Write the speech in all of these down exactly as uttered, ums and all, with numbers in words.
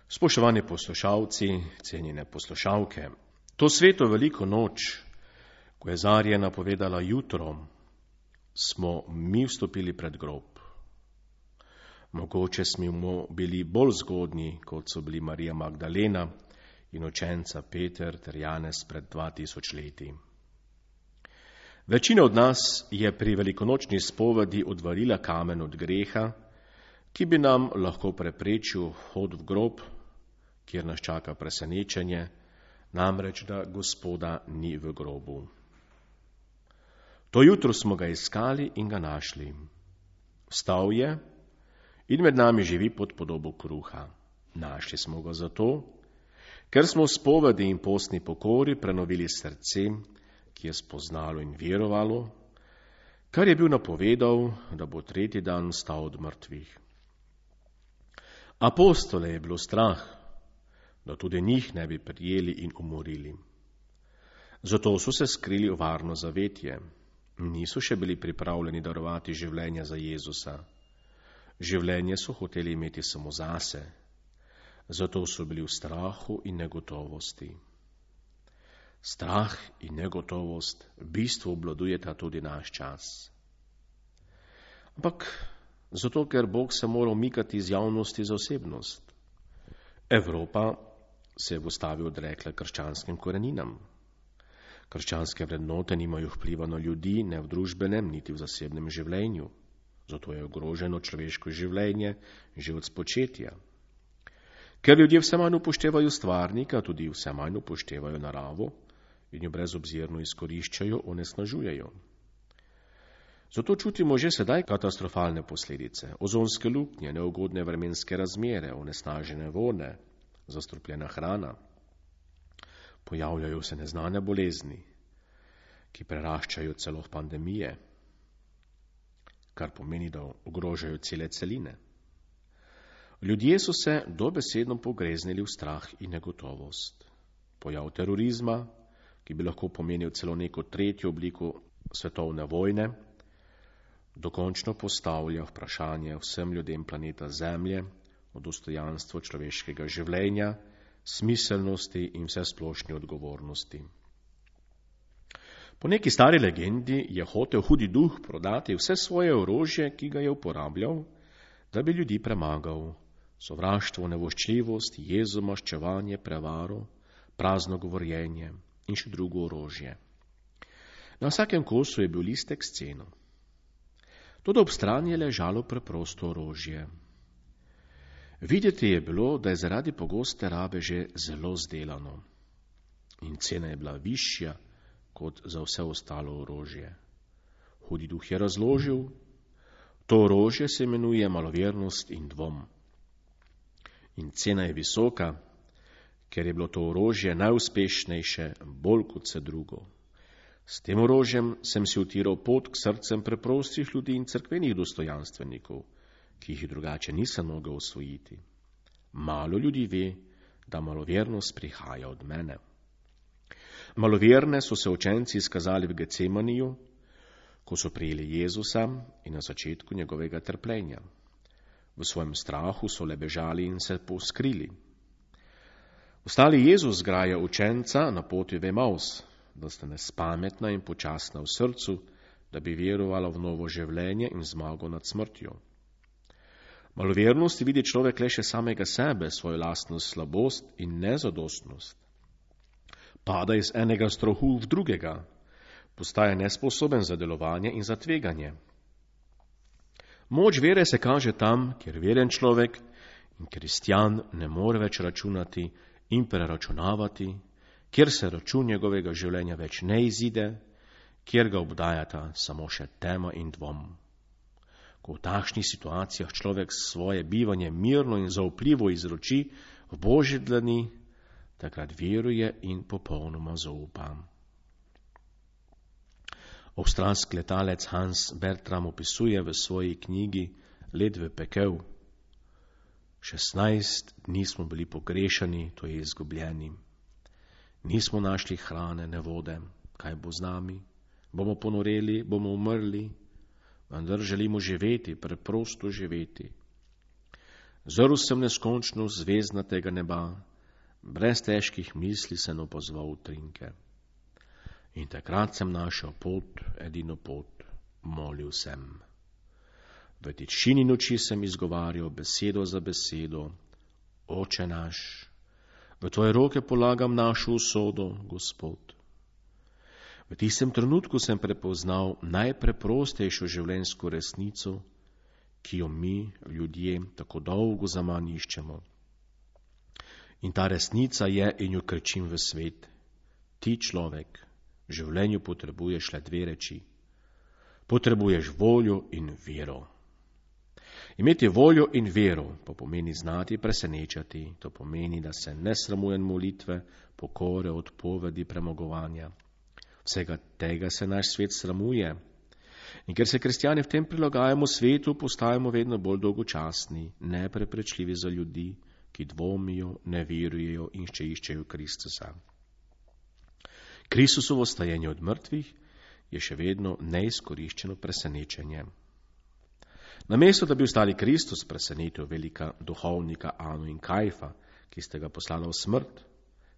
Spoštovani poslušalci, cenjene poslušalke, to sveto veliko noč, ko je zarja napovedala jutro, smo mi vstopili pred grob. Mogoče smo bili bolj zgodni, kot so bili Marija Magdalena in učenca Peter ter Janez pred dva tisoč leti. Večina od nas je pri velikonočni spovedi odvarila kamen od greha, ki bi nam lahko preprečil hod v grob, kjer nas čaka presenečenje, namreč da Gospoda ni v grobu. To jutro smo ga iskali in ga našli. Vstal je in med nami živi pod podobo kruha. Našli smo ga zato, ker smo v spovedi in postni pokori prenovili srce, ki je spoznalo in verovalo, kar je bil napovedal, da bo tretji dan vstal od mrtvih. Apostole je bilo strah, da tudi njih ne bi prijeli in umorili. Zato so se skrili v varno zavetje. Niso še bili pripravljeni darovati življenja za Jezusa. Življenje so hoteli imeti samo zase. Zato so bili v strahu in negotovosti. Strah in negotovost v bistvu obvladujeta tudi naš čas. Ampak zato, ker Bog se mora umikati iz javnosti za osebnost. Evropa se je v ustavi odrekla krščanskim koreninam. Krščanske vrednote nimajo vpliva na ljudi, ne v družbenem, niti v zasebnem življenju. Zato je ogroženo človeško življenje že od spočetja. Ker ljudje vse manj upoštevajo stvarnika, tudi vse manj upoštevajo naravo in jo brezobzirno izkoriščajo, onesnažujejo. Zato čutimo že sedaj katastrofalne posledice, ozonske luknje, neugodne vremenske razmere, onesnažene vode, zastrupljena hrana. Pojavljajo se neznane bolezni, ki preraščajo celo pandemije, kar pomeni, da ogrožajo cele celine. Ljudje so se dobesedno pogreznili v strah in negotovost. Pojav terorizma, ki bi lahko pomenil celo neko tretjo obliko svetovne vojne, dokončno postavlja vprašanje vsem ljudem planeta Zemlje o dostojanstvu človeškega življenja, smiselnosti in vsesplošni odgovornosti. Po neki stari legendi je hotel hudi duh prodati vse svoje orožje, ki ga je uporabljal, da bi ljudi premagal. Sovraštvo, nevoščljivost, jezo, maščevanje, prevaro, prazno govorjenje in še drugo orožje. Na vsakem kosu je bil listek s ceno. Toda ob strani je ležalo preprosto orožje. Videti je bilo, da je zaradi pogoste rabe že zelo zdelano in cena je bila višja kot za vse ostalo orožje. Hudi duh je razložil, to orožje se imenuje malovernost in dvom. In cena je visoka, ker je bilo to orožje najuspešnejše, bolj kot vse drugo. S tem orožjem sem si utiral pot k srcem preprostih ljudi in cerkvenih dostojanstvenikov, ki jih drugače nisem mogel osvojiti. Malo ljudi ve, da malovernost prihaja od mene. Maloverne so se učenci izkazali v Getsemaniju, ko so prijeli Jezusa in na začetku njegovega trpljenja. V svojem strahu so le bežali in se poskrili. Ostali Jezus zgraja učenca na poti v Emaus, da sta nespametna in počasna v srcu, da bi verovala v novo življenje in zmago nad smrtjo. Malovernosti vidi človek le še samega sebe, svojo lastno slabost in nezadostnost. Pada iz enega strahu v drugega, postaja nesposoben za delovanje in za tveganje. Moč vere se kaže tam, kjer veren človek in kristjan ne more več računati in preračunavati, kjer se račun njegovega življenja več ne izide, kjer ga obdajata samo še tema in dvom. Ko v takšnih situacijah človek svoje bivanje mirno in zaupljivo izroči v Božje dlani, takrat veruje in popolnoma zaupa. Avstralski letalec Hans Bertram opisuje v svoji knjigi Let v pekel. šestnajst dni smo bili pogrešani, to je izgubljeni. Nismo našli hrane, ne vode. Kaj bo z nami? Bomo ponoreli, bomo umrli? Vendar želimo živeti, preprosto živeti. Zrl sem neskončno zvezdnatega neba, brez težkih misli sem opozval utrinke. In takrat sem našel pot, edino pot, molil sem. V tišini noči sem izgovarjal besedo za besedo, Oče naš, v tvoje roke polagam našo usodo, Gospod. V tistem trenutku sem prepoznal najpreprostejšo življenjsko resnico, ki jo mi, ljudje, tako dolgo zaman iščemo. In ta resnica je, in jo krčim v svet. Ti, človek, v življenju potrebuješ le dve reči. Potrebuješ voljo in vero. Imeti voljo in vero pa pomeni znati presenečati, to pomeni, da se ne sramujem molitve, pokore, odpovedi, premagovanja. Vsega tega se naš svet sramuje. In ker se kristjani v tem prilagajamo svetu, postajamo vedno bolj dolgočasni, nepreprečljivi za ljudi, ki dvomijo, ne verujejo in še iščejo Kristusa. Kristusovo stajenje od mrtvih je še vedno neizkoriščeno presenečenje. Namesto, da bi ostali Kristus presenetil velika duhovnika Anu in Kajfa, ki ste ga poslali v smrt,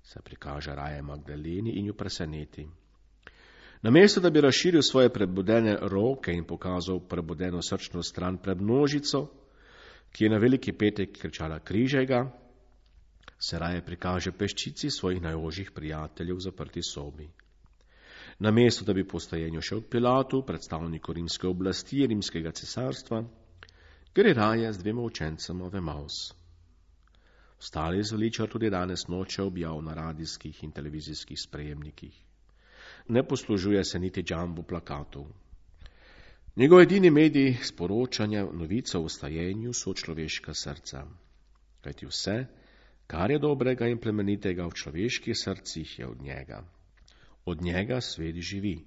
se prikaže raje Magdaleni in jo preseneti. Namesto, da bi razširil svoje prebudene roke in pokazal prebudeno srčno stran pred množico, ki je na veliki petek kričala križaj ga, se raje prikaže peščici svojih najožjih prijateljev v zaprti sobi. Namesto, da bi po stajenju šel k Pilatu, predstavniku rimske oblasti, rimskega cesarstva, gre raje z dvema učencema v Emaus. Ostali zveličar tudi danes noče objav na radijskih in televizijskih sprejemnikih. Ne poslužuje se niti džambo plakatov. Njegov edini medij sporočanja novice o stajenju so človeška srca. Kajti vse, kar je dobrega in plemenitega v človeških srcih, je od njega. Od njega svet živi.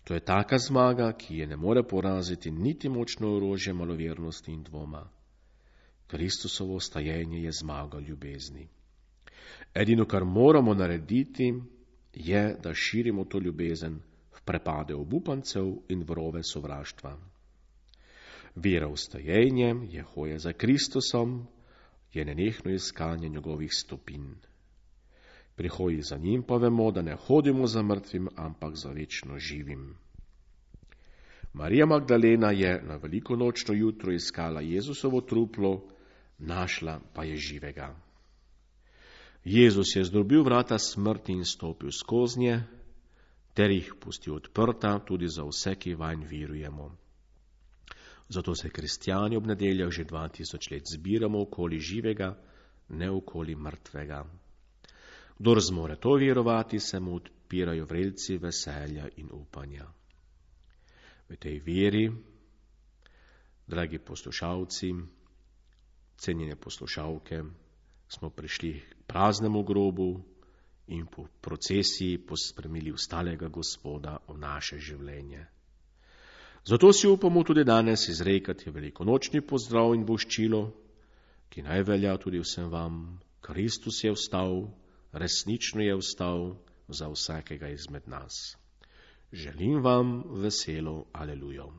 To je taka zmaga, ki je ne more poraziti niti močno orožje malovernosti in dvoma. Kristusovo stajenje je zmaga ljubezni. Edino, kar moramo narediti, je, da širimo to ljubezen v prepade obupancev in vrove sovraštva. Vera v stajenje je hoja za Kristusom, je nenehno iskanje njegovih stopinj. Pri hoji za njim pa vemo, da ne hodimo za mrtvim, ampak za večno živim. Marija Magdalena je na veliko nočno jutro iskala Jezusovo truplo, našla pa je živega. Jezus je zdrobil vrata smrti in stopil skoznje, ter jih pustil odprta tudi za vse, ki vanj verujemo. Zato se kristjani ob nedeljah že dva tisoč let zbiramo okoli živega, ne okoli mrtvega. Kdor zmore to verovati, se mu odpirajo vrelci veselja in upanja. V tej veri, dragi poslušalci, cenjene poslušalke, smo prišli k praznemu grobu in po procesiji pospremili ostalega Gospoda v naše življenje. Zato si upamo tudi danes izrekati velikonočni pozdrav in voščilo, ki naj velja tudi vsem vam. Kristus je vstal, resnično je vstal za vsakega izmed nas. Želim vam veselo alelujo.